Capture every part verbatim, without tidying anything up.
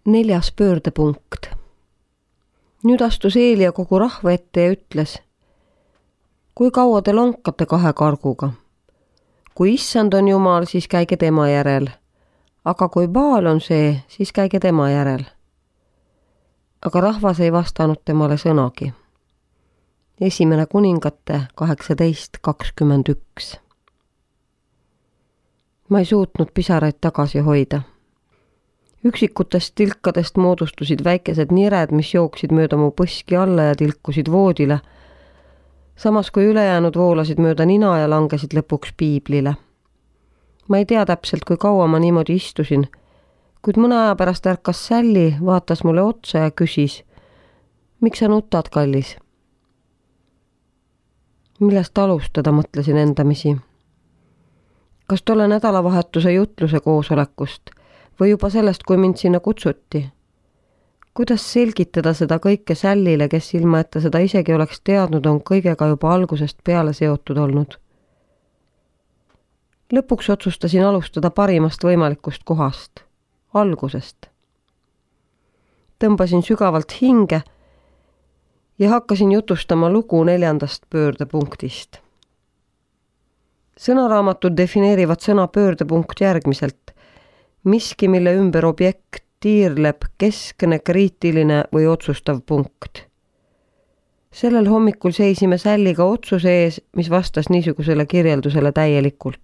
Neljas pöördepunkt. Nüüd astus Eelia kogu rahva ette ja ütles: kui kaua te lonkate kahe karguga? Kui issand on Jumal, siis käige tema järel. Aga kui Baal on see, siis käige tema järel. Aga rahvas ei vastanud temale sõnagi. Esimene kuningate kaheksateist kakskümmend üks. Ma ei suutnud pisaraid tagasi hoida. Üksikutest tilkadest moodustusid väikesed nired, mis jooksid mööda mu põski alla ja tilkusid voodile, samas kui ülejäänud voolasid mööda nina ja langesid lõpuks piiblile. Ma ei tea täpselt, kui kaua ma niimoodi istusin, kuid mõne aja pärast ärkas Sälli, vaatas mulle otsa ja küsis: miks sa nutad, kallis? Millest alustada, mõtlesin endamisi. Kas tolle nädalavahetuse jutluse koosolekust või juba sellest, kui mind sinna kutsuti? Kuidas selgitada seda kõike Sällile, kes ilma, et ta seda isegi oleks teadnud, on kõigega juba algusest peale seotud olnud? Lõpuks otsustasin alustada parimast võimalikust kohast, algusest. Tõmbasin sügavalt hinge ja hakkasin jutustama lugu neljandast pöördepunktist. Sõnaraamatud defineerivad sõna pöördepunkt järgmiselt: miski, mille ümber objekt tiirleb, keskne, kriitiline või otsustav punkt. Sellel hommikul seisime Sälliga otsuse ees, mis vastas niisugusele kirjeldusele täielikult.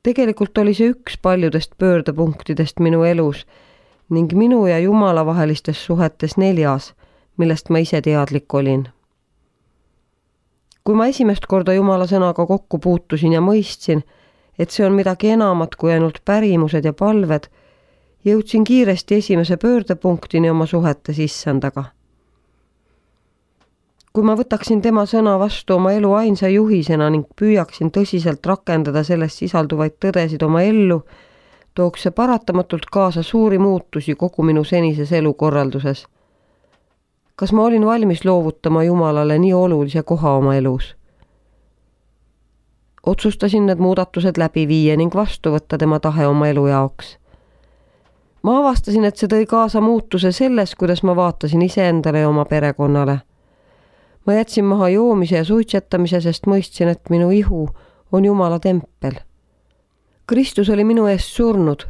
Tegelikult oli see üks paljudest pöördepunktidest minu elus ning minu ja Jumala vahelistes suhetes neljas, millest ma ise teadlik olin. Kui ma esimest korda Jumala sõnaga kokku puutusin ja mõistsin, et see on midagi enamat kui ainult pärimused ja palved, jõudsin kiiresti esimese pöördepunktini oma suhetes issandaga. Kui ma võtaksin tema sõna vastu oma elu ainsa juhisena ning püüaksin tõsiselt rakendada selles sisalduvaid tõdesid oma ellu, tooks see paratamatult kaasa suuri muutusi kogu minu senises elukorralduses. Kas ma olin valmis loovutama Jumalale nii olulise koha oma elus? Otsustasin need muudatused läbi viia ning vastu võtta tema tahe oma elu jaoks. Ma avastasin, et see tõi kaasa muutuse selles, kuidas ma vaatasin iseendale ja oma perekonnale. Ma jätsin maha joomise ja suitsetamise, sest mõistsin, et minu ihu on Jumala tempel. Kristus oli minu eest surnud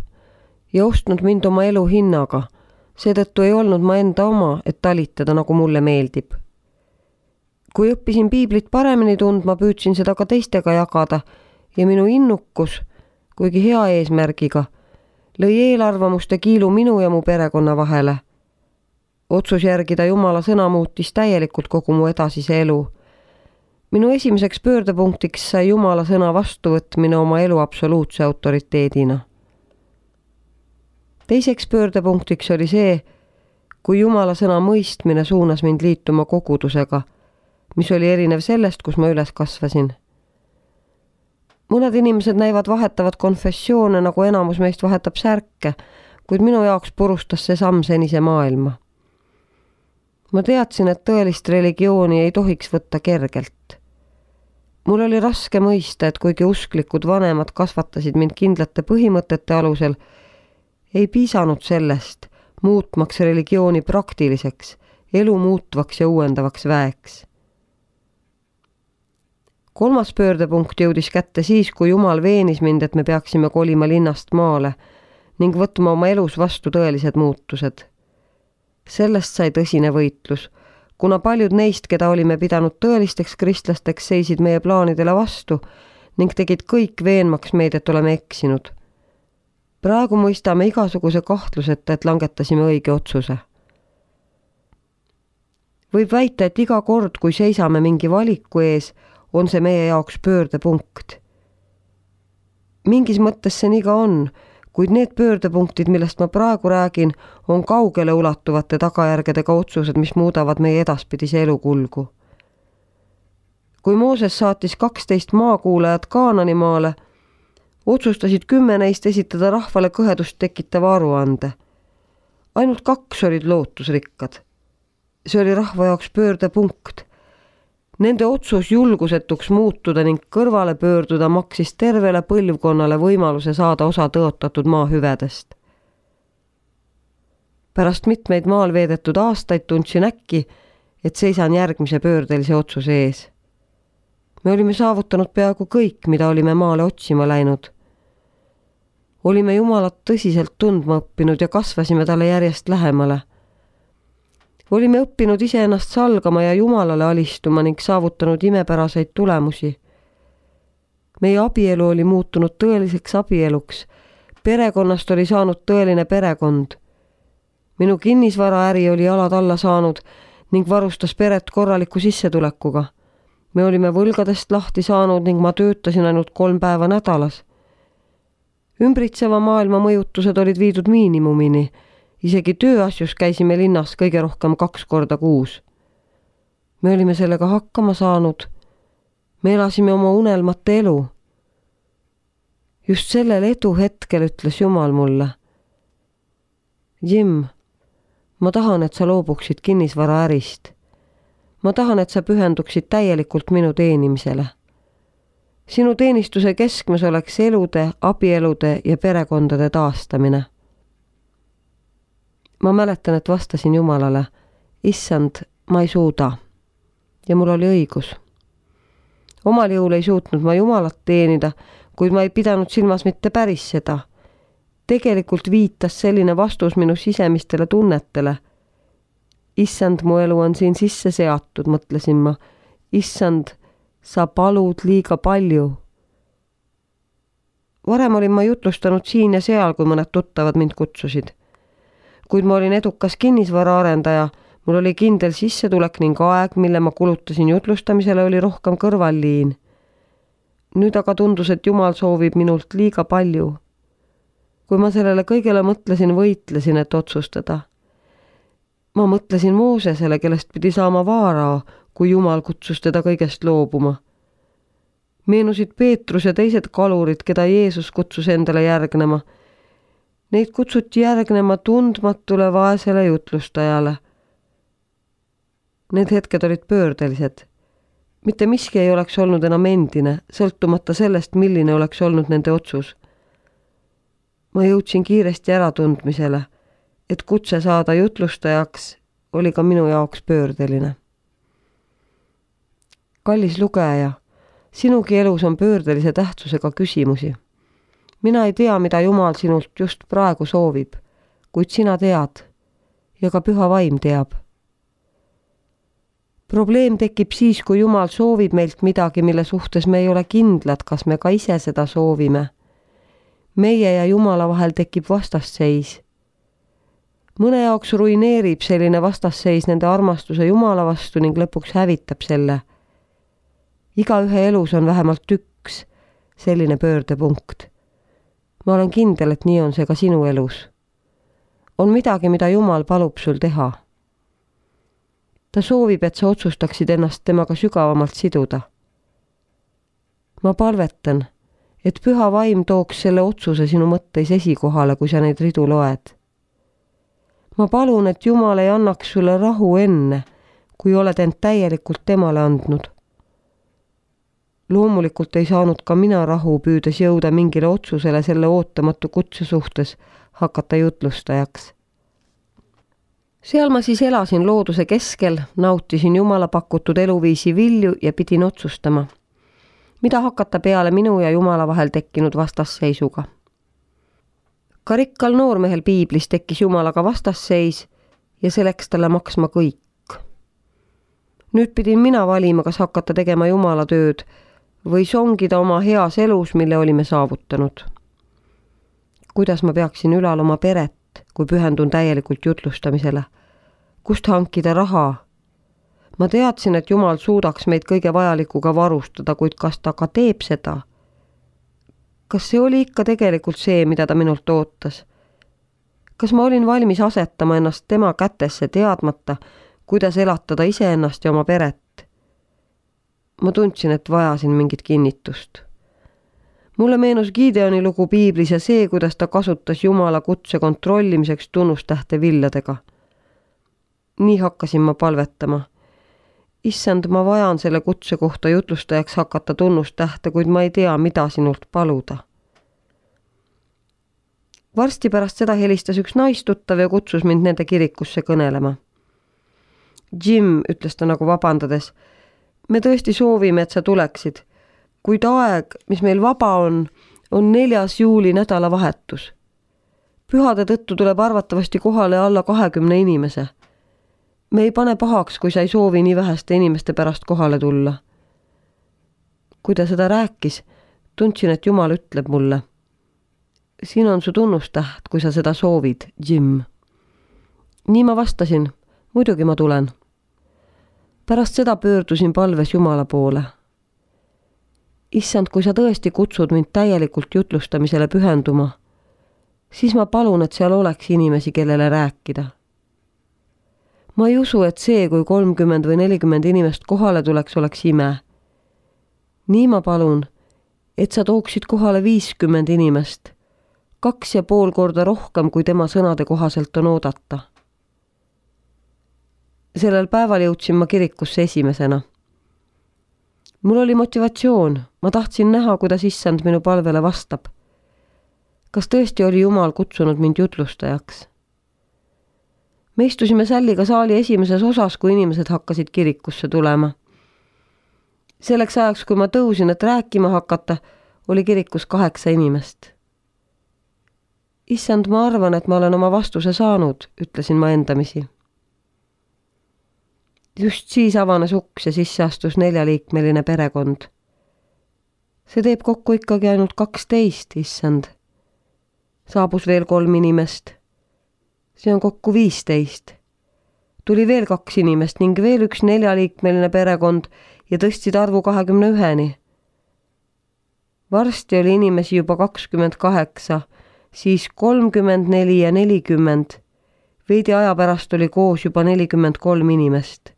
ja ostnud mind oma elu hinnaga. Seetõttu ei olnud ma enda oma, et talitada, nagu mulle meeldib. Kui õppisin piiblit paremini tundma, püüdsin seda ka teistega jagada ja minu innukus, kuigi hea eesmärgiga, lõi eelarvamuste kiilu minu ja mu perekonna vahele. Otsus järgida Jumala sõna muutis täielikult kogu mu edasise elu. Minu esimeseks pöördepunktiks sai Jumala sõna vastuvõtmine oma elu absoluutse autoriteedina. Teiseks pöördepunktiks oli see, kui Jumala sõna mõistmine suunas mind liituma kogudusega, mis oli erinev sellest, kus ma üles kasvasin. Mõned inimesed näivad vahetavad konfessioone, nagu enamus meist vahetab särke, kuid minu jaoks purustas see samm senise maailma. Ma teadsin, et tõelist religiooni ei tohiks võtta kergelt. Mul oli raske mõista, et kuigi usklikud vanemad kasvatasid mind kindlate põhimõtete alusel, ei piisanud sellest, muutmaks religiooni praktiliseks, elu muutvaks ja uuendavaks väeks. Kolmas pöördepunkt jõudis kätte siis, kui Jumal veenis mind, et me peaksime kolima linnast maale ning võtma oma elus vastu tõelised muutused. Sellest sai tõsine võitlus, kuna paljud neist, keda olime pidanud tõelisteks kristlasteks, seisid meie plaanidele vastu ning tegid kõik veenmaks meid, et oleme eksinud. Praegu mõistame igasuguse kahtluseta, et langetasime õige otsuse. Võib väita, et iga kord, kui seisame mingi valiku ees, on see meie jaoks pöördepunkt. Mingis mõttes see nii ka on, kuid need pöördepunktid, millest ma praegu räägin, on kaugele ulatuvate tagajärgedega otsused, mis muudavad meie edaspidise elukulgu. Kui Mooses saatis kaksteist maakuulajat Kaananimaale, otsustasid kümme neist esitada rahvale kõhedust tekitava aruande. Ainult kaks olid lootusrikkad. See oli rahva jaoks pöördepunkt. Nende otsus julgusetuks muutuda ning kõrvale pöörduda maksis tervele põlvkonnale võimaluse saada osa tõotatud maa hüvedest. pärast mitmeid maal veedetud aastaid tundsin äkki, et seisan järgmise pöördelise otsuse ees. Me olime saavutanud peaaegu kõik, mida olime maale otsima läinud. Olime Jumalat tõsiselt tundma õppinud ja kasvasime talle järjest lähemale. Olime õppinud iseennast salgama ja Jumalale alistuma ning saavutanud imepäraseid tulemusi. Meie abielu oli muutunud tõeliseks abieluks. Perekonnast oli saanud tõeline perekond. Minu kinnisvaraäri oli jalad alla saanud ning varustas peret korraliku sissetulekuga. Me olime võlgadest lahti saanud ning ma töötasin ainult kolm päeva nädalas. Ümbritseva maailma mõjutused olid viidud miinimumini. Isegi tööasjus käisime linnas kõige rohkem kaks korda kuus. Me olime sellega hakkama saanud. Me elasime oma unelmate elu. Just sellel edu hetkel ütles Jumal mulle: Jim, ma tahan, et sa loobuksid kinnisvaraärist. Ma tahan, et sa pühenduksid täielikult minu teenimisele. Sinu teenistuse keskmes oleks elude, abielude ja perekondade taastamine. Ma mäletan, et vastasin Jumalale: Issand, ma ei suuda. Ja mul oli õigus. Omal jõul ei suutnud ma Jumalat teenida, kuid ma ei pidanud silmas mitte päris seda. Tegelikult viitas selline vastus minu sisemistele tunnetele. Issand, mu elu on siin sisse seatud, mõtlesin ma. Issand, sa palud liiga palju. Varem olin ma jutlustanud siin ja seal, kui mõned tuttavad mind kutsusid. Kuid ma olin edukas kinnisvaraarendaja, mul oli kindel sissetulek ning aeg, mille ma kulutasin jutlustamisele, oli rohkem kõrvalliin. Nüüd aga tundus, et Jumal soovib minult liiga palju. Kui ma sellele kõigele mõtlesin, võitlesin, et otsustada. Ma mõtlesin Moosesele, kellest pidi saama Vaarao, kui Jumal kutsus teda kõigest loobuma. Meenusid Peetrus ja teised kalurid, keda Jeesus kutsus endale järgnema. Neid kutsuti järgnema tundmatule vaesele jutlustajale. Need hetked olid pöördelised. Mitte miski ei oleks olnud enam endine, sõltumata sellest, milline oleks olnud nende otsus. Ma jõudsin kiiresti äratundmisele, et kutse saada jutlustajaks oli ka minu jaoks pöördeline. Kallis lugeja, sinugi elus on pöördelise tähtsusega küsimusi. Mina ei tea, mida Jumal sinult just praegu soovib, kuid sina tead ja ka Püha Vaim teab. Probleem tekib siis, kui Jumal soovib meilt midagi, mille suhtes me ei ole kindlad, kas me ka ise seda soovime. Meie ja Jumala vahel tekib vastasseis. Mõne jaoks ruineerib selline vastasseis nende armastuse Jumala vastu ning lõpuks hävitab selle. Igaühe elus on vähemalt üks selline pöördepunkt. Ma olen kindel, et nii on see ka sinu elus. On midagi, mida Jumal palub sul teha. Ta soovib, et sa otsustaksid ennast temaga sügavamalt siduda. Ma palvetan, et Püha Vaim tooks selle otsuse sinu mõtteis esikohale, kui sa neid ridu loed. Ma palun, et Jumal ei annaks sulle rahu enne, kui oled end täielikult temale andnud. Loomulikult ei saanud ka mina rahu, püüdes jõuda mingile otsusele selle ootamatu kutse suhtes hakata jutlustajaks. Seal ma siis elasin looduse keskel, nautisin Jumala pakutud eluviisi vilju ja pidin otsustama, mida hakata peale minu ja Jumala vahel tekkinud vastasseisuga. Ka rikkal noormehel piiblis tekkis Jumalaga vastasseis ja see läks talle maksma kõik. Nüüd pidin mina valima, kas hakata tegema Jumala tööd või songida oma heas elus, mille olime saavutanud. Kuidas ma peaksin ülal oma peret, kui pühendun täielikult jutlustamisele? Kust hankida raha? Ma teadsin, et Jumal suudaks meid kõige vajalikuga varustada, kuid kas ta ka teeb seda? Kas see oli ikka tegelikult see, mida ta minult ootas? Kas ma olin valmis asetama ennast tema kätesse teadmata, kuidas elatada iseennast ja oma peret? Ma tundsin, et vajasin mingit kinnitust. Mulle meenus Gideoni lugu piiblis ja see, kuidas ta kasutas Jumala kutse kontrollimiseks tunnustähte villadega. Nii hakkasin ma palvetama. Issand, ma vajan selle kutse kohta jutlustajaks hakata tunnustähte, kuid ma ei tea, mida sinult paluda. Varsti pärast seda helistas üks naistuttav ja kutsus mind nende kirikusse kõnelema. Jim, ütles ta nagu vabandades, me tõesti soovime, et sa tuleksid, kuid aeg, mis meil vaba on, on neljas juuli nädalavahetus. Pühade tõttu tuleb arvatavasti kohale alla kahekümne inimese. Me ei pane pahaks, kui sa ei soovi nii väheste inimeste pärast kohale tulla. Kui ta seda rääkis, tundsin, et Jumal ütleb mulle. Siin on su tunnustäht, kui sa seda soovid, Jim. Nii ma vastasin, muidugi ma tulen. Pärast seda pöördusin palves Jumala poole. Issand, kui sa tõesti kutsud mind täielikult jutlustamisele pühenduma, siis ma palun, et seal oleks inimesi, kellele rääkida. Ma ei usu, et see, kui kolmkümmend või nelikümmend inimest kohale tuleks, oleks ime. Nii ma palun, et sa tooksid kohale viiskümmend inimest, kaks ja pool korda rohkem, kui tema sõnade kohaselt on oodata. Sellel päeval jõudsin ma kirikusse esimesena. Mul oli motivatsioon, ma tahtsin näha, kuidas issand minu palvele vastab. Kas tõesti oli Jumal kutsunud mind jutlustajaks? Me istusime sälliga saali esimeses osas, kui inimesed hakkasid kirikusse tulema. Selleks ajaks, kui ma tõusin, et rääkima hakata, oli kirikus kaheksa inimest. Issand, ma arvan, et ma olen oma vastuse saanud, ütlesin ma endamisi. Just siis avanes uks ja sisse astus neljaliikmeline perekond. See teeb kokku ikkagi ainult kaksteist, issand. Saabus veel kolm inimest. See on kokku viisteist. Tuli veel kaks inimest ning veel üks neljaliikmeline perekond ja tõstsid arvu kahekümne üheni. Varsti oli inimesi juba kakskümmend kaheksa, siis kolmkümmend neli ja nelikümmend. Veidi aja pärast oli koos juba nelikümmend kolm inimest.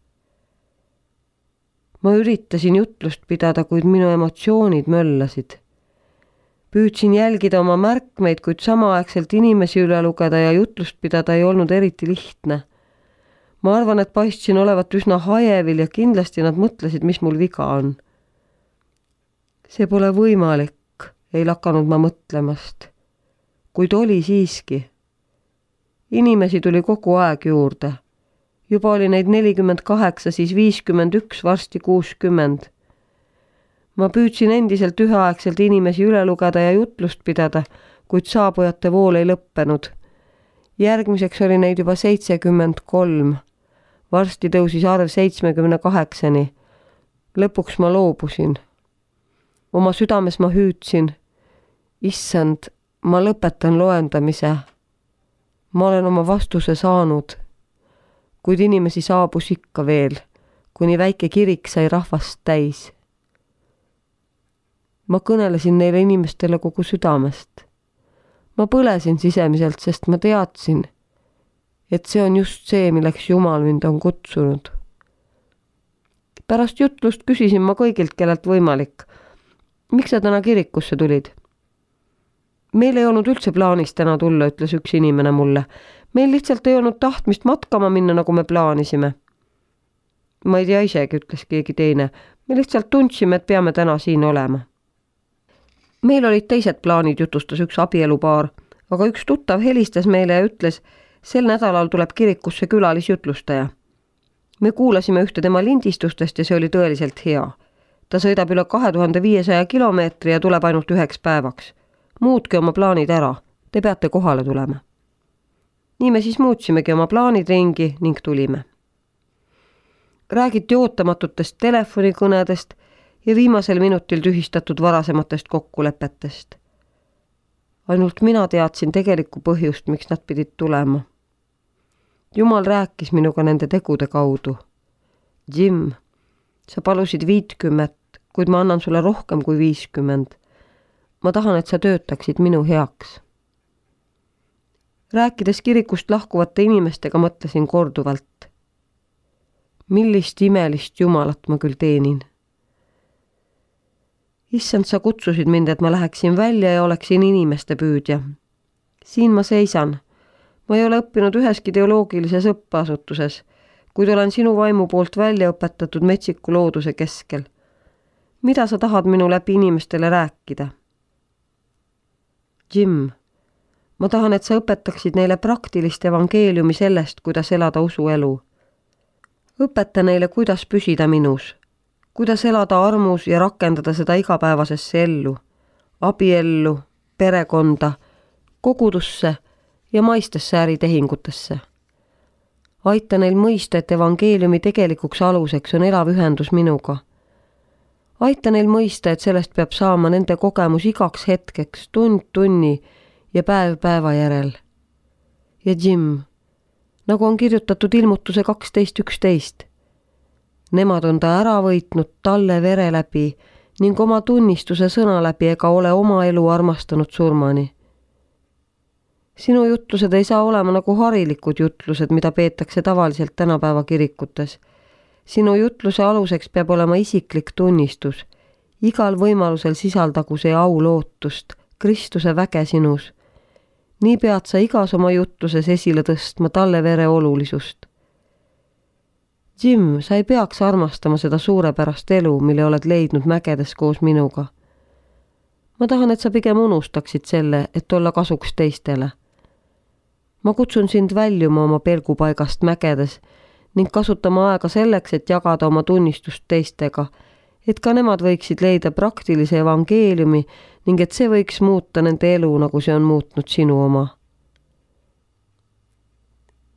Ma üritasin jutlust pidada, kuid minu emotsioonid möllasid. Püüdsin jälgida oma märkmeid, kuid samaaegselt inimesi üle lugeda ja jutlust pidada ei olnud eriti lihtne. Ma arvan, et paistsin olevat üsna hajevil ja kindlasti nad mõtlesid, mis mul viga on. See pole võimalik, ei lakanud ma mõtlemast. Kuid oli siiski. Inimesi tuli kogu aeg juurde. Juba oli neid nelikümmend kaheksa, siis viiskümmend üks, varsti kuuskümmend. Ma püüdsin endiselt üheaegselt inimesi üle lugeda ja jutlust pidada, kuid saabujate vool ei lõppenud. Järgmiseks oli neid juba seitsekümmend kolm. Varsti tõusis arv seitsmekümne kaheksani. Lõpuks ma loobusin. Oma südames ma hüüdsin. Issand, ma lõpetan loendamise. Ma olen oma vastuse saanud. Kuid inimesi saabus ikka veel, kuni väike kirik sai rahvast täis. Ma kõnelesin neile inimestele kogu südamest. Ma põlesin sisemiselt, sest ma teadsin, et see on just see, milleks Jumal mind on kutsunud. Pärast jutlust küsisin ma kõigilt, kellelt võimalik. Miks sa täna kirikusse tulid? Meil ei olnud üldse plaanis täna tulla, ütles üks inimene mulle. Meil lihtsalt ei olnud tahtmist matkama minna, nagu me plaanisime. Ma ei tea isegi, ütles keegi teine. Me lihtsalt tundsime, et peame täna siin olema. Meil olid teised plaanid, jutustas üks abielupaar, aga üks tuttav helistas meile ja ütles, sel nädalal tuleb kirikusse külalisjutlustaja. Me kuulasime ühte tema lindistustest ja see oli tõeliselt hea. Ta sõidab üle kahe tuhande viiesaja kilomeetri ja tuleb ainult üheks päevaks. Muutke oma plaanid ära, te peate kohale tulema. Nii me siis muutsimegi oma plaanid ringi ning tulime. Räägiti ootamatutest telefonikõnedest ja viimasel minutil tühistatud varasematest kokkulepetest. Ainult mina teadsin tegelikku põhjust, miks nad pidid tulema. Jumal rääkis minuga nende tegude kaudu. Jim, sa palusid viitkümmet, kuid ma annan sulle rohkem kui viiskümmend. Ma tahan, et sa töötaksid minu heaks. Rääkides kirikust lahkuvate inimestega mõtlesin korduvalt. Millist imelist Jumalat ma küll teenin. Issand, sa kutsusid mind, et ma läheksin välja ja oleksin inimeste püüdja. Siin ma seisan. Ma ei ole õppinud üheski teoloogilises õppeasutuses, kuid olen sinu vaimu poolt välja õpetatud metsiku looduse keskel. Mida sa tahad minu läbi inimestele rääkida? Jim, Ma tahan, et sa õpetaksid neile praktilist evangeeliumi sellest, kuidas elada usuelu. Õpeta neile, kuidas püsida minus, kuidas elada armus ja rakendada seda igapäevasesse ellu, abiellu, perekonda, kogudusse ja maistesse äritehingutesse. Aita neil mõista, et evangeeliumi tegelikuks aluseks on elav ühendus minuga. Aita neil mõista, et sellest peab saama nende kogemus igaks hetkeks, tund tunni ja päev päeva järel. Ja Jim, nagu on kirjutatud ilmutuse kaksteist üksteist. Nemad on ta ära võitnud talle vere läbi ning oma tunnistuse sõna läbi ega ole oma elu armastanud surmani. Sinu jutlused ei saa olema nagu harilikud jutlused, mida peetakse tavaliselt tänapäeva kirikutes. Sinu jutluse aluseks peab olema isiklik tunnistus. Igal võimalusel sisaldagu see au lootust, Kristuse väge sinus. Nii pead sa igas oma jutluses esile tõstma talle vere olulisust. Jim, sa ei peaks armastama seda suurepärast elu, mille oled leidnud mägedes koos minuga. Ma tahan, et sa pigem unustaksid selle, et olla kasuks teistele. Ma kutsun sind väljuma oma pelgupaigast mägedes ning kasutama aega selleks, et jagada oma tunnistust teistega, et ka nemad võiksid leida praktilise evangeeliumi ning et see võiks muuta nende elu, nagu see on muutnud sinu oma.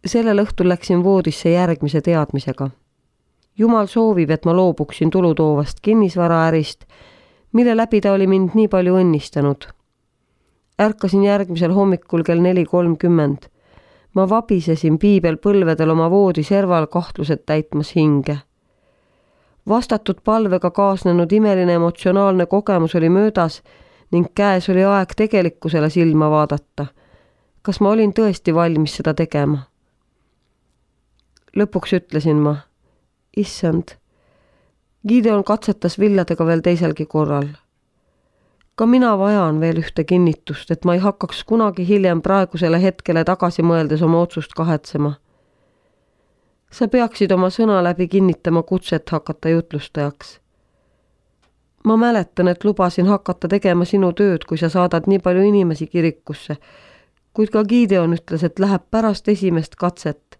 Sellel õhtul läksin voodisse järgmise teadmisega. Jumal soovib, et ma loobuksin tulutoovast kinnisvaraärist, mille läbi ta oli mind nii palju õnnistanud. Ärkasin järgmisel hommikul kell neli kolmkümmend. Ma vabisesin piibel põlvedel oma voodi serval kahtlused täitmas hinge. Vastatud palvega kaasnenud imeline emotsionaalne kogemus oli möödas ning käes oli aeg tegelikkusele silma vaadata. Kas ma olin tõesti valmis seda tegema? Lõpuks ütlesin ma, issand, Gideon katsetas villadega veel teiselgi korral. Ka mina vajan veel ühte kinnitust, et ma ei hakkaks kunagi hiljem praegusele hetkele tagasi mõeldes oma otsust kahetsema. Sa peaksid oma sõna läbi kinnitama kutset hakata jutlustajaks. Ma mäletan, et lubasin hakata tegema sinu tööd, kui sa saadad nii palju inimesi kirikusse, kuid ka Gideon ütles, et läheb pärast esimest katset.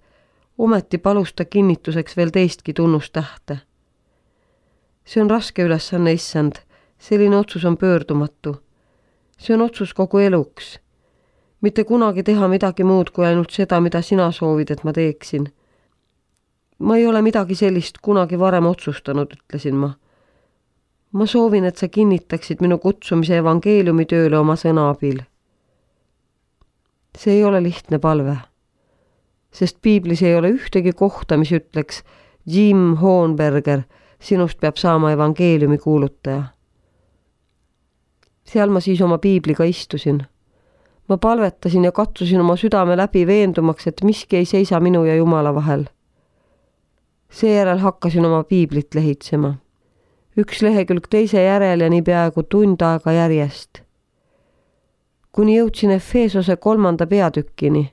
Ometi palus ta kinnituseks veel teistki tunnustähte. See on raske ülesanne, issand. Selline otsus on pöördumatu. See on otsus kogu eluks. Mitte kunagi teha midagi muud kui ainult seda, mida sina soovid, et ma teeksin. Ma ei ole midagi sellist kunagi varem otsustanud, ütlesin ma. Ma soovin, et sa kinnitaksid minu kutsumise evangeeliumi tööle oma sõna abil. See ei ole lihtne palve, sest piiblis ei ole ühtegi kohta, mis ütleks Jim Hohenberger, sinust peab saama evangeeliumi kuulutaja. Seal ma siis oma piibliga istusin. Ma palvetasin ja katsusin oma südame läbi veendumaks, et miski ei seisa minu ja Jumala vahel. Seejärel hakkasin oma piiblit lehitsema. Üks lehekülg teise järel ja nii peaaegu tund aega järjest. Kuni jõudsin Efeesose kolmanda peatükkini.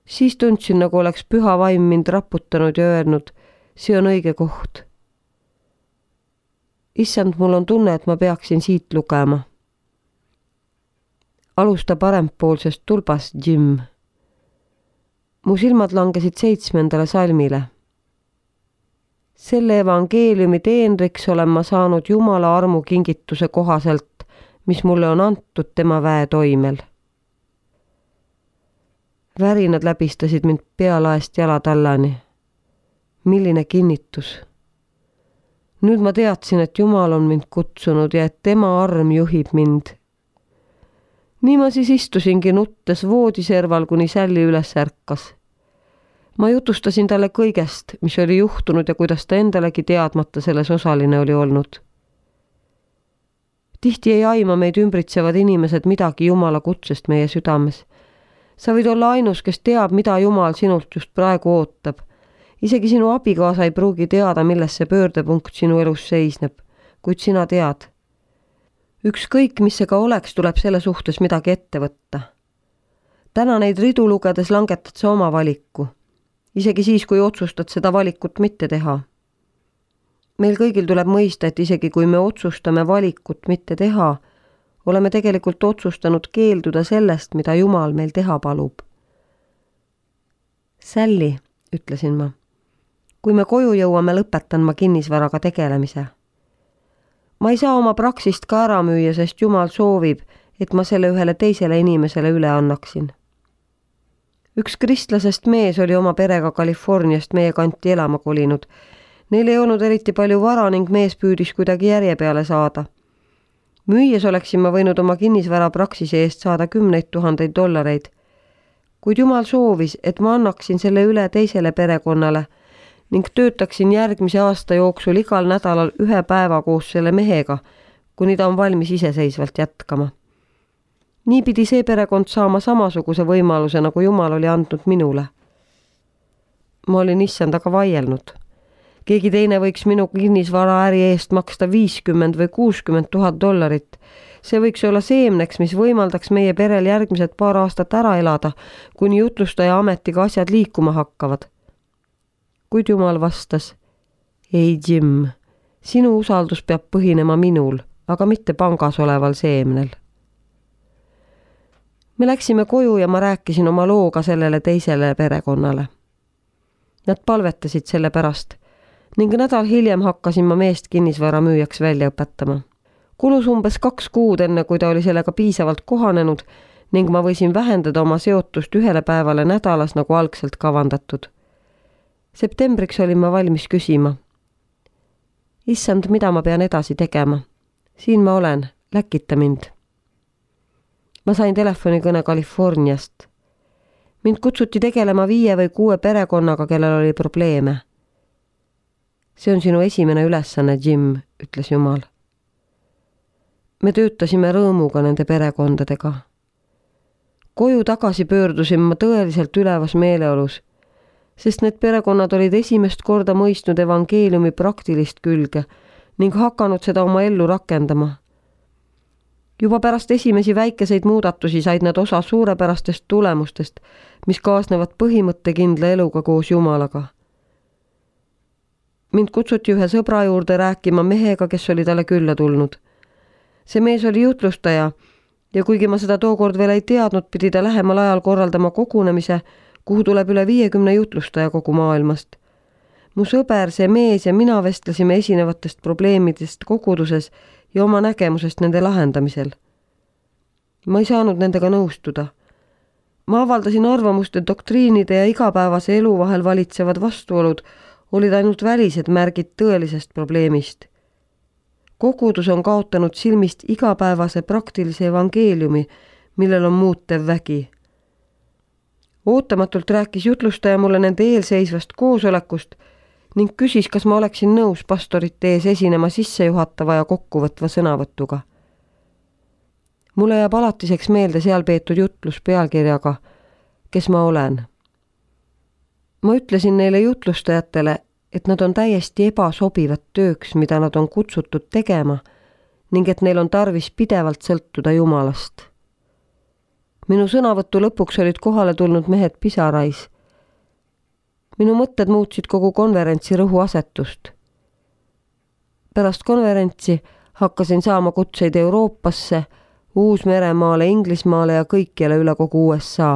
Siis tundsin, nagu oleks püha vaim mind raputanud ja öelnud, see on õige koht. Issand, mul on tunne, et ma peaksin siit lugema. Alusta parempoolsest tulbast, Jim. Mu silmad langesid seitsmendale salmile. Selle evangeeliumi teenriks olen ma saanud Jumala armu kingituse kohaselt, mis mulle on antud tema väe toimel. Värinad läbistasid mind pealaest jalatallani. Milline kinnitus. Nüüd ma teadsin, et Jumal on mind kutsunud ja et tema arm juhib mind. Nii ma siis istusingi nuttes voodiserval, kuni Sälli üles ärkas. Ma jutustasin talle kõigest, mis oli juhtunud ja kuidas ta endalegi teadmata selles osaline oli olnud. Tihti ei aima meid ümbritsevad inimesed midagi Jumala kutsest meie südames. Sa võid olla ainus, kes teab, mida Jumal sinult just praegu ootab. Isegi sinu abikaasa ei pruugi teada, milles see pöördepunkt sinu elus seisneb, kuid sina tead. Ükskõik, mis see ka oleks, tuleb selle suhtes midagi ette võtta. Täna neid ridu lugedes langetad sa oma valiku. Isegi siis, kui otsustad seda valikut mitte teha. Meil kõigil tuleb mõista, et isegi kui me otsustame valikut mitte teha, oleme tegelikult otsustanud keelduda sellest, mida Jumal meil teha palub. Sally, ütlesin ma. Kui me koju jõuame, lõpetan ma kinnisvaraga tegelemise. Ma ei saa oma praksist ka ära müüa, sest Jumal soovib, et ma selle ühele teisele inimesele üle annaksin. Üks kristlasest mees oli oma perega Californiast meie kanti elama kolinud. Neil ei olnud eriti palju vara ning mees püüdis kuidagi järje peale saada. Müües oleksin ma võinud oma kinnisvara praksise eest saada kümneid tuhandeid dollareid. Kuid Jumal soovis, et ma annaksin selle üle teisele perekonnale ning töötaksin järgmise aasta jooksul igal nädalal ühe päeva koos selle mehega, kuni ta on valmis iseseisvalt jätkama. Nii pidi see perekond saama samasuguse võimaluse, nagu Jumal oli andnud minule. Ma olin issandaga vaielnud. Keegi teine võiks minu kinnisvara äri eest maksta viiskümmend või kuuskümmend tuhat dollarit. See võiks olla seemneks, mis võimaldaks meie perel järgmised paar aastat ära elada, kuni jutlustaja ametiga asjad liikuma hakkavad. Kuid Jumal vastas, ei Jim, sinu usaldus peab põhinema minul, aga mitte pangas oleval seemnel. Me läksime koju ja ma rääkisin oma looga sellele teisele perekonnale. Nad palvetasid selle pärast ning nädal hiljem hakkasin ma meest kinnisvara müüjaks välja õpetama. Kulus umbes kaks kuud enne, kui ta oli sellega piisavalt kohanenud ning ma võisin vähendada oma seotust ühele päevale nädalas nagu algselt kavandatud. Septembriks olin ma valmis küsima. Issand, mida ma pean edasi tegema? Siin ma olen, läkita mind. Ma sain telefonikõne Californiast. Mind kutsuti tegelema viie või kuue perekonnaga, kellel oli probleeme. See on sinu esimene ülesanne, Jim, ütles Jumal. Me töötasime rõõmuga nende perekondadega. Koju tagasi pöördusin ma tõeliselt ülevas meeleolus, sest need perekonnad olid esimest korda mõistnud evangeeliumi praktilist külge ning hakanud seda oma ellu rakendama. Juba pärast esimesi väikeseid muudatusi said nad osa suurepärastest tulemustest, mis kaasnevad põhimõttekindla eluga koos Jumalaga. Mind kutsuti ühe sõbra juurde rääkima mehega, kes oli talle külla tulnud. See mees oli jutlustaja ja kuigi ma seda tookord veel ei teadnud, pidi ta lähemal ajal korraldama kogunemise, kuhu tuleb üle viiekümne jutlustaja kogu maailmast. Mu sõber, see mees ja mina vestlesime esinevatest probleemidest koguduses ja oma nägemusest nende lahendamisel. Ma ei saanud nendega nõustuda. Ma avaldasin arvamust, et doktriinide ja igapäevase elu vahel valitsevad vastuolud olid ainult välised märgid tõelisest probleemist. Kogudus on kaotanud silmist igapäevase praktilise evangeeliumi, millel on muutev vägi. Ootamatult rääkis jutlustaja mulle nende eelseisvast koosolekust ning küsis, kas ma oleksin nõus pastorite ees esinema sissejuhatava ja kokkuvõtva sõnavõtuga. Mulle jääb alatiseks meelde seal peetud jutlus pealkirjaga Kes ma olen. Ma ütlesin neile jutlustajatele, et nad on täiesti ebasobivad tööks, mida nad on kutsutud tegema ning et neil on tarvis pidevalt sõltuda Jumalast. Minu sõnavõttu lõpuks olid kohale tulnud mehed pisarais. Minu mõtted muutsid kogu konverentsi rõhuasetust. Pärast konverentsi hakkasin saama kutseid Euroopasse, Uus-Meremaale, Inglismaale ja kõikjale üle kogu U S A.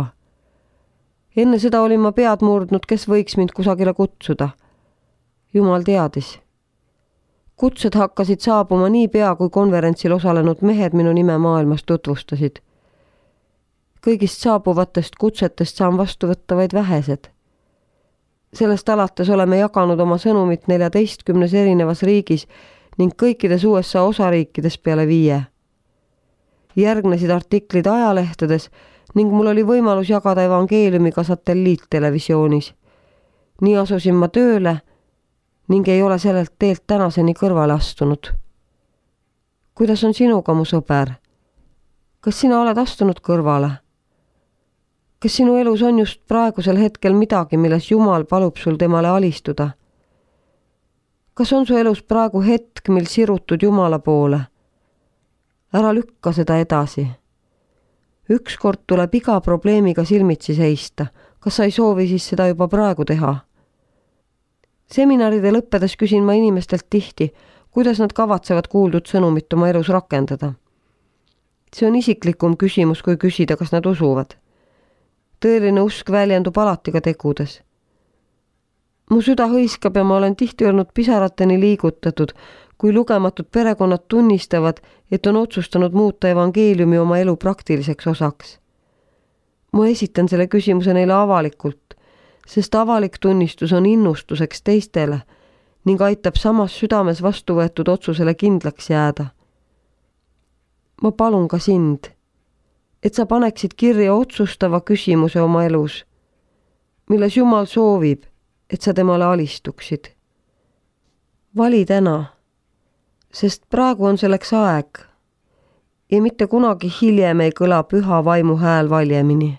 Enne seda olin ma pead murdnud, kes võiks mind kusagile kutsuda. Jumal teadis. Kutsed hakkasid saabuma nii pea, kui konverentsil osalenud mehed minu nime maailmas tutvustasid. Kõigist saabuvatest kutsetest saan vastu võtta vaid vähesed. Sellest alates oleme jaganud oma sõnumit neljateistkümnes erinevas riigis ning kõikides U S A osariikides peale viie. Järgnesid artiklid ajalehtedes ning mul oli võimalus jagada evangeeliumiga satelliittelevisioonis. Nii asusin ma tööle ning ei ole sellelt teelt tänaseni kõrvale astunud. Kuidas on sinuga, mu sõber? Kas sina oled astunud kõrvale? Kas sinu elus on just praegusel hetkel midagi, milles Jumal palub sul temale alistuda? Kas on su elus praegu hetk, mil sirutud Jumala poole? Ära lükka seda edasi. Ükskord tuleb iga probleemiga silmitsi seista. Kas sa ei soovi siis seda juba praegu teha? Seminaride lõppedes küsin ma inimestelt tihti, kuidas nad kavatsevad kuuldud sõnumit oma elus rakendada. See on isiklikum küsimus, kui küsida, kas nad usuvad. Tõeline usk väljendub alati ka tegudes. Mu süda hõiskab ja ma olen tihti olnud pisarateni liigutatud, kui lugematud perekonnad tunnistavad, et on otsustanud muuta evangeeliumi oma elu praktiliseks osaks. Ma esitan selle küsimuse neile avalikult, sest avalik tunnistus on innustuseks teistele ning aitab samas südames vastu võetud otsusele kindlaks jääda. Ma palun ka sind, et sa paneksid kirja otsustava küsimuse oma elus, milles Jumal soovib, et sa temale alistuksid. Vali täna, sest praegu on selleks aeg ja mitte kunagi hiljem ei kõla püha vaimu hääl valjemini.